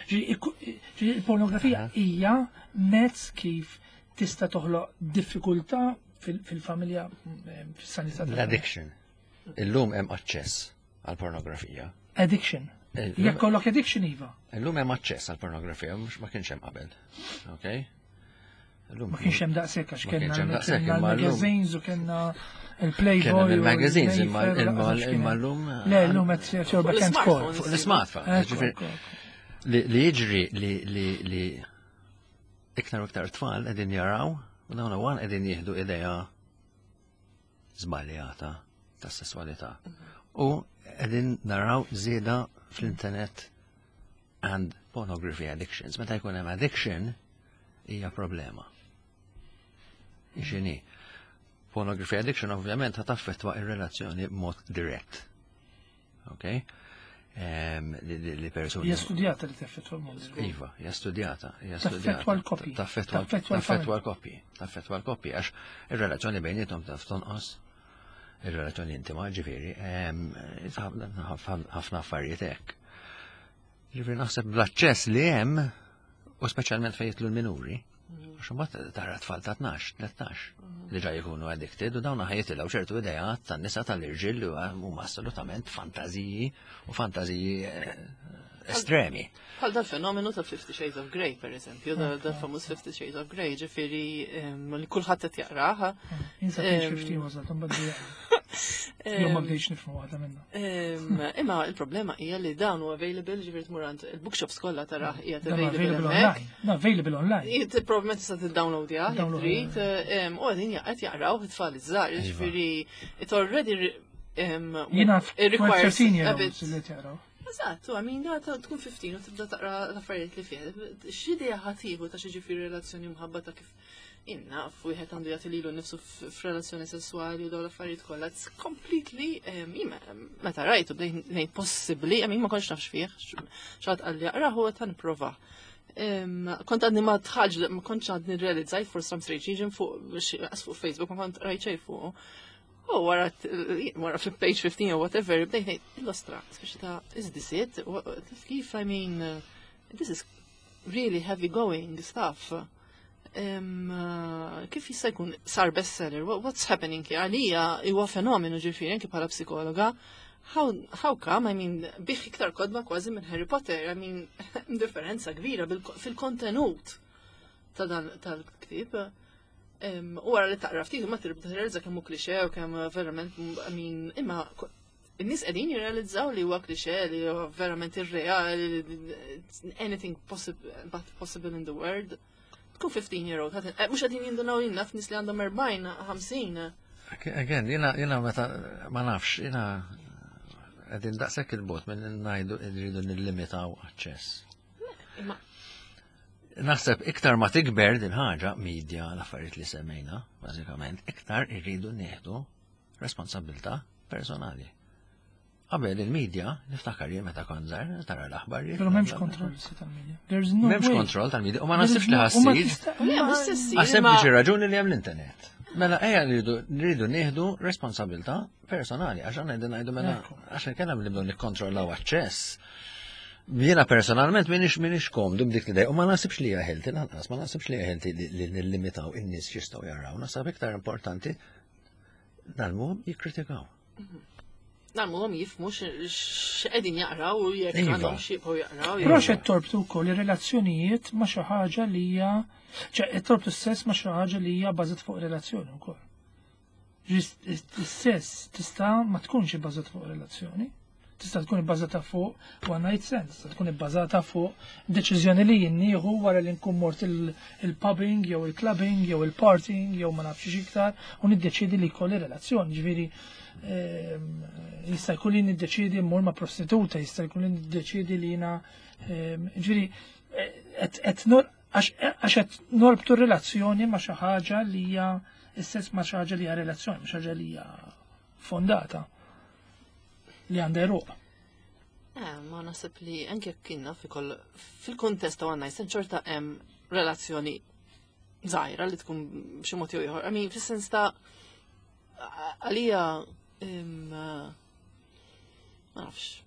ġi- ikku- ġi il-pornografija hija mezz kif tista' toħloq diffikultà fil- fil-familja eh, fis-sanità tal-familja. L-addiction. Illum hemm aċċess għal pornografija. Addiction. Illum- Jekk kollok addiction iva. Illum hemm aċċess għal pornografija, mhux ma kienx hemm qabel. Okay? Illum Ma kienx hemm daqshekk għax Ma kellna kienx hemm daqshekk, kellna imma llum- l-magazines u kellna il-Playboy. Kellna u il-magazines, imma- il-Mayfair, imma- laqas x'kien imma hemm. llum- Le, llum qed jogħba Fuq kent l-smartphones. kol. Fuq l-smartphone. Ekku, Ġifieri, ekku, ekku. Li li jiġri li li li iktar u iktar tfal qegħdin jaraw u dawn għan qegħdin jieħdu idea żbaljata tas-sesswalità. U qegħdin naraw żieda fl-internet and pornography addictions. Meta jkun hemm addiction hija problema. X'inhi? Pornography addiction ovvjament ħa taffettwa ir-relazzjoni b'mod dirett. Okay? Em, li, li, li persuni. Hija studjata li taffettwa l-mod. Iva, hija studjata, hija Taffettwa studjata. l-koppji. Taffettwa Taffettwa taffettwa l-koppji. Taffettwa l-koppji, għax ir-relazzjoni bejniethom taf tonqos. Ir-relazzjoni intima, ġifieri, em, ħafna affarijiet hekk. Ġifieri naħseb bl-aċċess li hemm, u speċjalment fejn jidħlu l-minuri, għax imbagħad tara tfal ta' tnax, tlettax, li ġa jkunu addicted u dawn ħa jitilgħu ċertu ideat tan-nisa tal-irġiel li huma assolutament fantażiji u fantażiji eh, estremi. Bħal dal-fenomenu ta' Fifty Shades of Grey, per eżempju, dal-famuż Fifty Shades of Grey, ġifieri em, li kulħadd qed jaqraha. Jien sa page Em, fifteen wasalt, imbagħad di- Jew ma bdejx nifhmu waħda minnha. Em, Imma il-problema hija li dawn hu available, ġifieri tmur għand il-bookshops kollha tarah qiegħed Dan available available hemmhekk. online. No, available online. Jit probablement tista' tiddownloadja, jekk Download, trid, em, u qegħdin qed jaqraw it-tfal iż-żgħar, ġifieri it already em, Jiena it requires thirteen year a olds bit li qed jaqraw. Eżatt, I mean, da ta' tkun fifteen u tibda taqra l-affarijiet li fih. X'idea ħa tieħu ta' xi ġifieri relazzjoni mħabba ta' kif inna wieħed għandu jagħti lilu nnifsu f- f'relazzjoni sessuali u dawn l-affarijiet kollha. It's completely em, jien meta rajtu bdejt ngħid possibbli, I mean ma kontx nafx fih, x'għad qalli aqrah u ta' nipprova. Em, Kont għadni ma tħaġ, ma kontx għadni realizzajt for some strange reason fuq xi- fuq Facebook, ma kont rajt xejn fuq. U wara wara fi page fifteen or whatever, bdejt ngħid l-ostra, speċi ta' is this it? Wha- Kif, I mean, uh, this is really heavy going stuff. Um, uh, kif jista' jkun sar bestseller? What, what's happening here? Għalija huwa fenomenu ġifieri anke bħala psikologa. How, how come? I mean, biegħ iktar kotba kważi minn Harry Potter. I mean, differenza kbira bil- fil-kontenut ta' dan tal-ktib. Um, u wara li taqra ftit ma tibda tirrealizza kemm hu klixe u kemm verament, I mean, imma ko- in-nies qegħdin jirrealizzaw li huwa klixe, li huwa verament irreali, anything possible but possible in the world. Tkun fifteen year old, ħadd- eh, mhux qegħdin jindunaw jien naf nies li għandhom erbgħin, ħamsin. Again, jena, jena meta, ma nafx, jena qegħdin daqshekk il-bogħod minn ngħidu rridu nillimitaw aċċess. Imma Naħseb iktar ma tikber din ħaġa, media, l-affarijiet li semmejna, bażikament, iktar irridu nieħdu responsabilità personali. Qabel il-media, niftakar jien meta kont żgħir, tara l-aħbarijiet. Però m'hemmx kontroll issa tal-media. There's no M'hemmx way. kontroll tal-media, u ma naħsibx li U ma ħa ssir. tista' Le, mhux se ssir, Għas imma- sempliċi raġuni li hemm l-internet. Mela ejja rridu rridu nieħdu responsabilità personali, għax għandna qegħdin ngħidu mela Ekku. għax inkella nibdew nikkontrollaw aċċess. Jiena personalment minix minix komdu b'dik l-idea u ma naħsibx li hija healthy lanqas, ma naħsibx li hija healthy li li nillimitaw in-nies x'jistgħu jaraw. Naħseb iktar importanti ngħallmuhom jikkritikaw. Ngħallmuhom jifhmu x'qegħdin jaqraw u jekk Iva. għandhom xi jibqgħu jaqraw. Però x'qed torbtu wkoll ir-relazzjonijiet ma' xi ħaġa li hija ċe qed torbtu s-sess ma' xi ħaġa li hija bbażat fuq relazzjoni wkoll. Is-sess tista' ma tkunx ibbażat fuq relazzjoni. Tista' tkun ibbażata fuq one night stand, tista' tkun ibbażata fuq deċiżjoni li jien nieħu wara li nkun mort il-pubbing jew il-clubbing jew il-partying jew ma nafx iktar u niddeċidi li jkolli relazzjoni. Ġifieri ehm, jista' jkun li niddeċidi mmur ma' prostituta, jista' jkun li niddeċidi li jiena ehm, ġifieri qed għax qed norbtu relazzjoni ma' xi ħaġa li hija istess ma' xi ħaġa li hija relazzjoni, ma' xi ħaġa li hija fondata li għandha għeruq. Eh, ma naħseb li anke jekk kienna fil-kontest ta' one night stand xorta hemm relazzjoni żgħira li tkun b'xi mod jew ieħor. I mean, fis-sens ta' għalija ma nafx.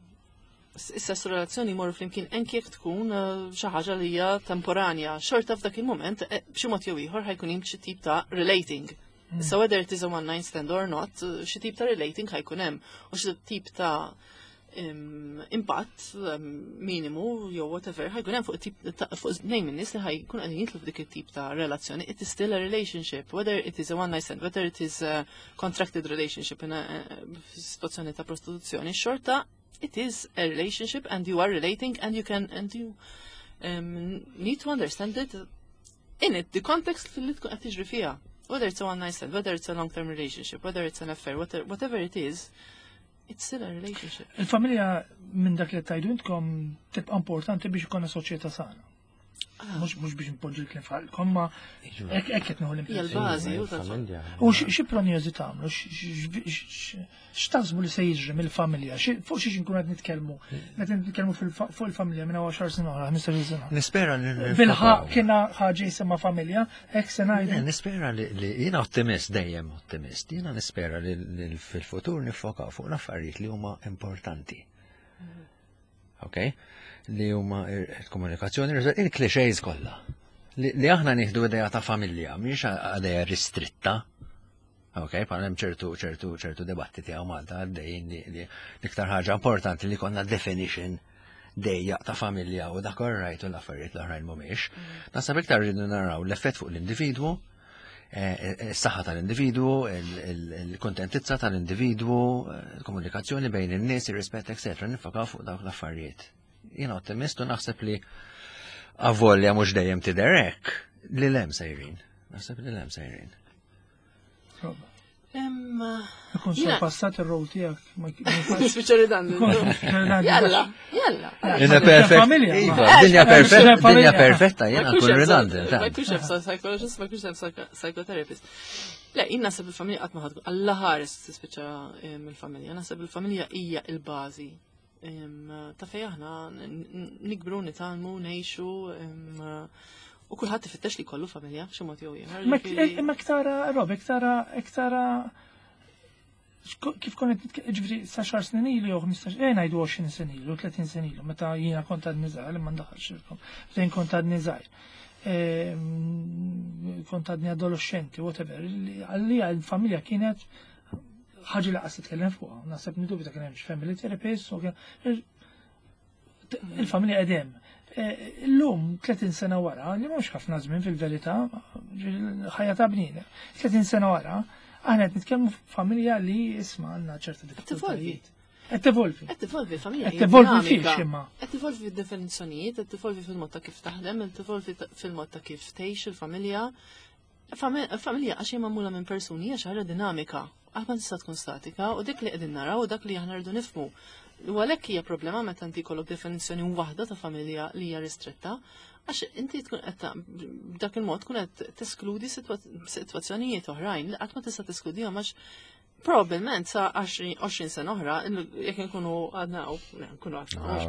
Issa relazzjoni jmorru flimkien anke jekk tkun eh, xi ħaġa li hija temporanja. Xorta f'dak il-moment eh, b'xi mod jew ieħor ħa jkun hemm xi tip ta' relating. So whether it is a one night stand or not, xi tip ta' relating ħa jkun hemm u xi tip ta' impatt minimu jew whatever ħa jkun hemm fuq tip fuq tnejn minn nies li ħa jkun qegħdin jidħlu f'dik it-tip ta' relazzjoni. It is still a relationship, whether it is a one night stand, whether it is a contracted relationship in a situazzjoni ta' prostituzzjoni, xorta it is a relationship and you are relating and you can and you um, need to understand it in it, the context li tkun qed tiġri fiha. Whether it's a one night stand, whether it's a long term relationship, whether it's an affair, whatever, whatever it is, it's still a relationship. Il-familja minn dak li tgħidu intkom tibqa' importanti biex ikollna soċjetà sana. Mhux mhux biex npoġġi l-kliem f'ħalqkom, ma hekk hekk qed nieħu Hija l-bażi, u tal-familja. U xi prognożi tagħmlu, x'taħsbu li se jiġri mill-familja, fuq xiex nkun qed nitkellmu, meta nitkellmu fuq il-familja minn għaxar snin oħra, ħmistax-il sena. Nispera li Bilħaq kiena ħaġa jisimha familja, hekk se ngħidu. Nispera li jiena ottimist dejjem ottimist, jiena nispera li fil-futur niffokaw fuq l-affarijiet li huma importanti. Ok? Li huma il-komunikazzjoni, il-clichés kollha. Li aħna nieħdu idea ta' familja, mhix idea ristritta. Ok, bħal hemm ċertu ċertu ċertu dibattiti hawn Malta għaddejjin li l-iktar ħaġa importanti li konna definition dejja ta' familja u dak right u l-affarijiet l-oħrajn mhumiex. Naħseb iktar rridu naraw l-effett fuq l-individwu, is-saħħa tal-individwu, il-kontentizza tal-individwu, il-komunikazzjoni bejn in-nies, ir-rispett, eċetera, niffokaw fuq dawk l-affarijiet. Jiena ottimist u naħseb li avolja mhux dejjem tidher hekk li 'l hemm sejrin. Naħseb li 'l hemm sejrin. Ikun sorpassat ir-rol tiegħek. Spiċċa redundant. Jalla, jalla. Dinja perfetta. Iva, dinja perfetta, dinja perfetta, jiena nkun redundant. Ma jkunx hemm psychologist, ma jkunx hemm psychotherapist. Le, jien naħseb il-familja qatt ma ħadd Alla ħares tispiċċa mill-familja. Naħseb il-familja hija il-bażi ta' fej aħna nikbru, nitgħallmu, ngħixu u kulħadd ifittex li jkollu familja b'xi mod jew ieħor. Imma iktara, Rob, iktara, iktara kif kont ġifieri sa għaxar snin ilu jew ħmistax, eh ngħidu għoxrin sena ilu, tletin sena ilu, meta jiena kont għadni żgħir, imma ndaħħalx fejn kont għadni żgħir. Kont għadni adolescenti, whatever, għalija l-familja kienet ħaġa li qas titkellem fuqha. Naħseb nidubita kien hemm family therapist u il-familja qedem. Illum tletin sena wara, li mhux ħafna żmien fil-verità, ħajja ta' bniedem. tletin sena wara, aħna qed nitkellmu familja li isma' għandna ċerta diffikultajiet. Qed tevolvi. Qed tevolvi familja. Qed tevolvi fiex imma. Qed tevolvi fid-definizzjonijiet, qed tevolvi fil-mod ta' kif taħdem, qed tevolvi fil-mod ta' kif tgħix il-familja. Familja għax hija magħmula minn persuni hija xi ħaġa dinamika. Qatt ma tista' tkun statika u dik li qegħdin naraw u dak li aħna rridu nifhmu. U għalhekk hija problema meta inti jkollok definizzjoni waħda ta' familja li hija ristretta, għax inti tkun qed b'dak il-mod tkun qed teskludi sitwazzjonijiet oħrajn li qatt ma tista' teskludihom għax probabbilment sa għoxrin sena oħra, jekk nkunu għadna u nkunu għadna, mhux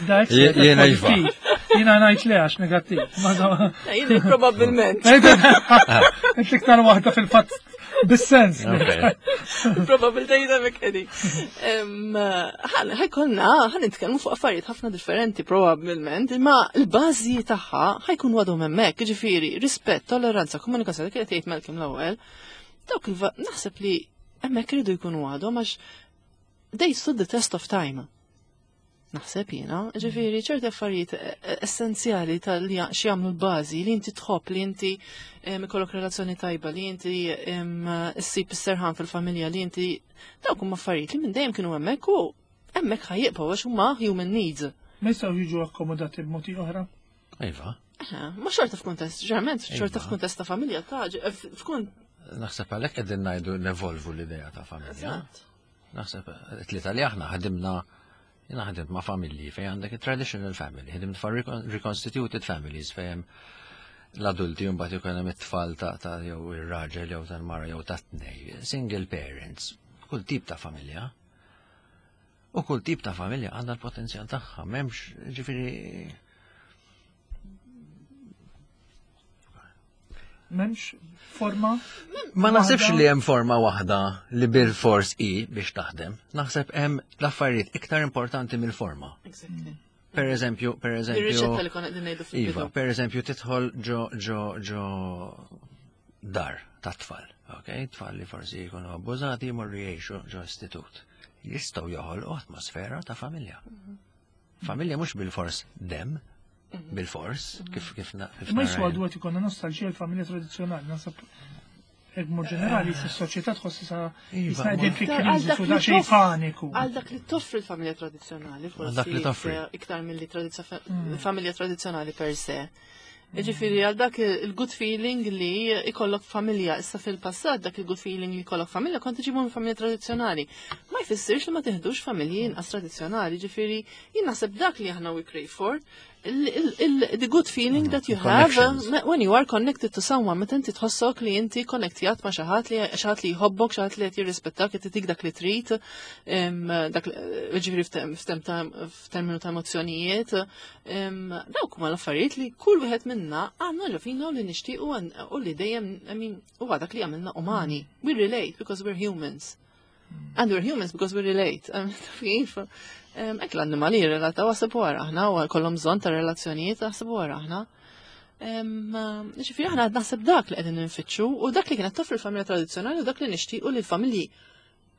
Dak Jiena iva. Jiena ngħid le għax negattiv. Jien probabbilment. Inti iktar waħda fil-fatt bis-sens. Probabiltajiet hemmhekk qegħdin. Ħa jkollna, ħa nitkellmu fuq affarijiet ħafna differenti probabbilment, imma l-bażi tagħha ħa jkun għadhom hemmhekk, jiġifieri rispett, tolleranza, komunikazzjoni, kienet jgħid Malcolm l-ewwel. Dawk naħseb li hemmhekk iridu jkunu għadhom għax they stood the test of time. Naħseb jiena, ġifieri ċerti affarijiet essenzjali tal-li x'jagħmlu l-bażi li inti tħobb, li inti ikollok relazzjoni tajba, li inti issib is-serħan fil-familja, li inti dawk huma affarijiet li minn dejjem kienu hemmhekk u Hemmhekk ħa jibqgħu għax huma human needs. Ma jistgħu jiġu akkomodati b'modi oħra? Iva. Ma xorta f'kuntest, ġeneralment xorta Iva. f'kuntest ta' familja ta' f'kun. Naħseb għalhekk qegħdin ngħidu nevolvu l-idea ta' familja. Eżatt. Naħseb tlieta li aħna ħadimna jiena ħadimt ma' familji fejn għandek traditional family, ħadimt fa' reconstituted families fejn l-adulti mbagħad ikun hemm it-tfal ta' ta' jew ir-raġel jew tal-mara jew ta' tnej, single parents, kull tip ta' familja. U kull tip ta' familja għandha l-potenzjal tagħha, m'hemmx ġifieri M'hemmx forma Ma naħsibx li hemm forma waħda li bil-fors i biex taħdem. Naħseb hemm l-affarijiet iktar importanti mill-forma. Exactly. Per eżempju, per eżempju. Ir-riċetta li konna qegħdin ngħidu Iva, fil-bidu. per eżempju, tidħol ġo ġo ġo dar ta' tfal, ok? Tfal li forsi jkunu abbużati jmorru jgħixu ġo istitut. Jistgħu joħolqu atmosfera ta' familja. Familja mhux bil-fors dem, bil-fors, kif kif na- kif Ma jiswa nara għadu għet ikonna nostalġija l-familja tradizjonali, nasab hekk mod ġenerali, s-soċjetà tħoss sa Iva, jisna ma- qegħdin fi Għal kriżi dak su li da xejn toff- paniku. Għal dak li toffri l-familja tradizzjonali, Għal dak li forsi toffri. iktar- iktar milli tradizzo- familja tradizzjonali per se. Ġifieri għal dak il-good feeling li ikollok familja, issa fil-passat dak il-good feeling li ikollok familja kont iġibu minn familja tradizzjonali. Ma jfissirx li ma tiħdux familji inqas tradizzjonali, ġifieri jien naħseb dak li aħna we crave for, il- il- il- the good feeling that you have Connections. uh, when you are connected to someone, meta inti tħossok li inti konnektjat ma' xi ħadd li xi ħadd li jħobbok, xi ħadd li qed jirrispettak, qed itik dak li trid, em, dak ġifieri f'tem- f'tem ta' f'terminu ta' emozzjonijiet, em, dawk huma l-affarijiet li kull wieħed minna għandna ġo fina u li nixtiequ għan- u li dejjem, I mean, huwa dak li għamilna umani. We relate because we're humans. And we're humans because we relate. Em, taf kif? Em, Hekk l-annimali jirrelataw għasab wara aħna u kollhom bżonn ta' relazzjonijiet għasab wara aħna. Em, Ġifieri aħna qed naħseb dak li qegħdin nfittxu u dak li kienet toffri l-familja tradizzjonali u dak li nixtiequ li l-familji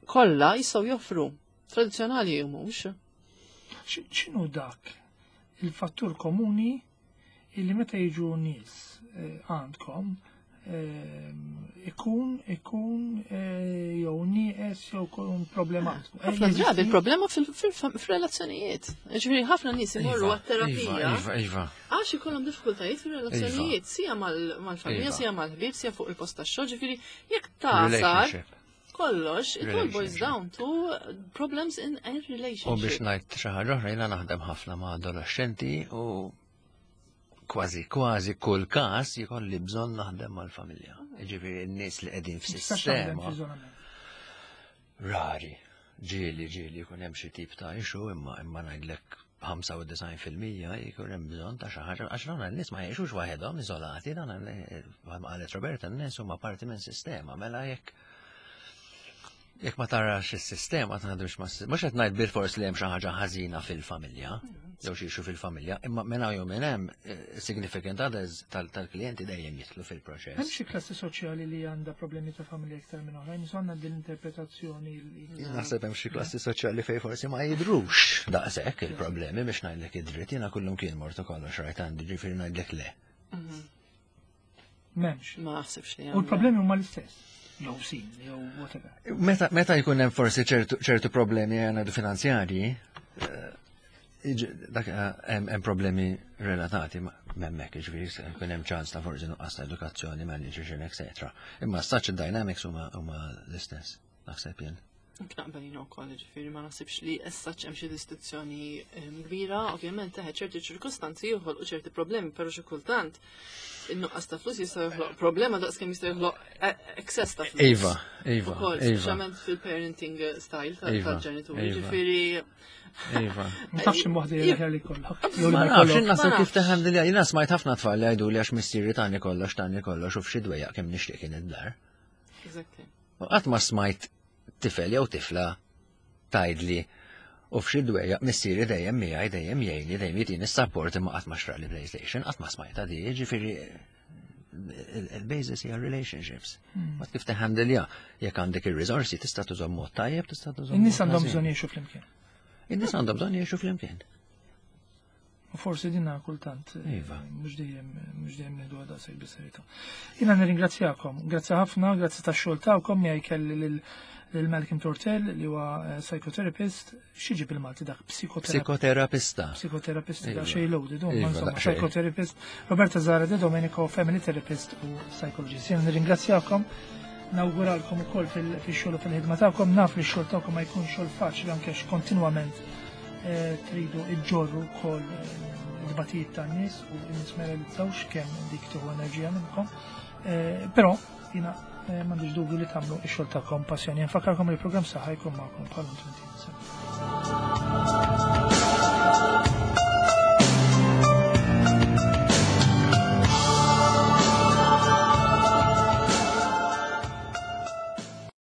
kollha jistgħu joffru. Tradizzjonali jew mhux. X- X'inhu dak il-fattur komuni illi meta jiġu nies eh, għandkom eh, ikun ikun eh, jew nieqes jew ikun problematiku. Eh, Ħafna drabi jeżisti? il-problema fil-relazzjonijiet. Ġifieri ħafna nies imorru Iva, għat-terapija. Iva, iva, iva. Għax ikollhom diffikultajiet fir-relazzjonijiet, sija mal- mal-familja, Iva. sija mal-ħbieb, sija fuq il-post tax-xogħol, ġifieri jekk tasar Relationship. kollox, it all boils Relationship. down to problems in a U biex relationship. ngħid xi ħaġa oħra jiena naħdem ħafna ma' adolescenti u kważi kważi kull każ jkolli bżonn naħdem mal-familja. Ġifieri n-nies li qegħdin Tistax taħdem f'sistema f'iżolament. rari. Ġieli ġieli jkun hemm xi tip ta' issue imma imma ngħidlek ħamsa u disgħin fil-mija jkun hemm bżonn ta' xi ħaġa għax dawn n-nies ma jgħixux waħedhom iżolati, dawn bħalma qalet Roberta n-nies huma parti minn sistema, mela jekk jekk ma tarax is-sistema taħdimx ma' mhux qed ngħid bil-fors li hemm xi ħaġa ħażina fil-familja, jew xi issue fil-familja, imma minn hawn jew minn hemm eh, significant others tal- tal-klijenti dejjem jidħlu Hemm fil-proċess. xi klassi soċjali li għandha problemi ta' familja iktar minn oħrajn, għandna din l-interpretazzjoni li Jien naħseb hemm xi klassi soċjali fejn forsi ma jidrux daqshekk il-problemi biex ngħidlek id-dritt jiena kullum kien mort u kollox rajt għandi ġifieri ngħidlek le. m'hemmx. Ma naħsibx li U l-problemi huma l-istess. Jew sin, jew whatever. Meta meta jkun hemm forsi ċertu ċertu problemi għandu finanzjarji, eh, iġ- dak eh, hemm hemm problemi relatati ma' m'hemmhekk, jiġifieri se jkun hemm ċans ta' forsi nuqqas ta' edukazzjoni, malnutrition, etc. Imma such dynamics huma huma l-istess, naħseb jien. Naqbel jien ukoll, ġifieri ma naħsibx li issa hemm xi distinzjoni em, kbira, ovvjament teħed ċerti ċirkustanzi joħolqu ċerti problemi, però xi kultant in-nuqqas ta' flus jista' joħloq problema daqs kemm jista' joħloq e- excess ta' flus. Iva, iva, Ukoll, iva, speċjalment fil-parenting style ta- Iva, tal-ġenituri, iva. ġifieri iva. Ma tafx imwaħda li li kollok. Jew li Ma ma nafx, jkollok. naħseb Ma kif nafx. teħandilja, jiena smajt ħafna tfal li jgħidu li għax missieri tani kollox, tani kollox u f'xi dwejjaq kemm nixtieq kien id-dar. Exactly. U qatt ma smajt tifel jew tifla tgħidli u f'xi dwejjaq missieri dejjem miegħi dejjem jgħinni dejjem jitini s-support imma qatt ma xtrali PlayStation, qatt ma smajta di, ġifieri il-basis hija relationships. Ma kif teħandilja, jekk għandek ir-riżorsi tista' tużhom mod tajjeb, tista' tużhom. In-nies mod għandhom ħażin. bżonn jgħixu flimkien. In-nies għandhom bżonn jgħixu flimkien. U forsi dinna kultant, eh, Iva. mhux dejjem mhux dejjem nieħdu għadha sejr bis-serjetà. Jiena nirringrazzjakom, grazzi ħafna, grazzi tax-xogħol tagħkom, miegħi kelli lil Lil Malcolm Tortel li huwa eh, psychotherapist, x'jiġi bil-Malti dak, psikoterapista? Psikoterapista. Psikoterapist da Iva. xej loaded, Iva, insomma, daqsxejn. psychotherapist, Roberta Zara De Domenico, family therapist u psychologist. Jena nirringrazzjakom, nawguralkom ukoll fil-xogħol u fil-ħidma tagħkom, naf li x-xogħol tagħkom ma jkun xogħol faċli anke għax kontinwament eh, tridu iġġorru wkoll eh, il-batijiet tan-nies u n-nies ma realizzawx kemm dik tieħu enerġija minnkom. Eh, Però jiena eh, m'għandix dubju li tagħmlu x-xogħol tagħkom passjoni. Nfakkarkom li l-programm Saħħa jkun magħkom bħal twenty.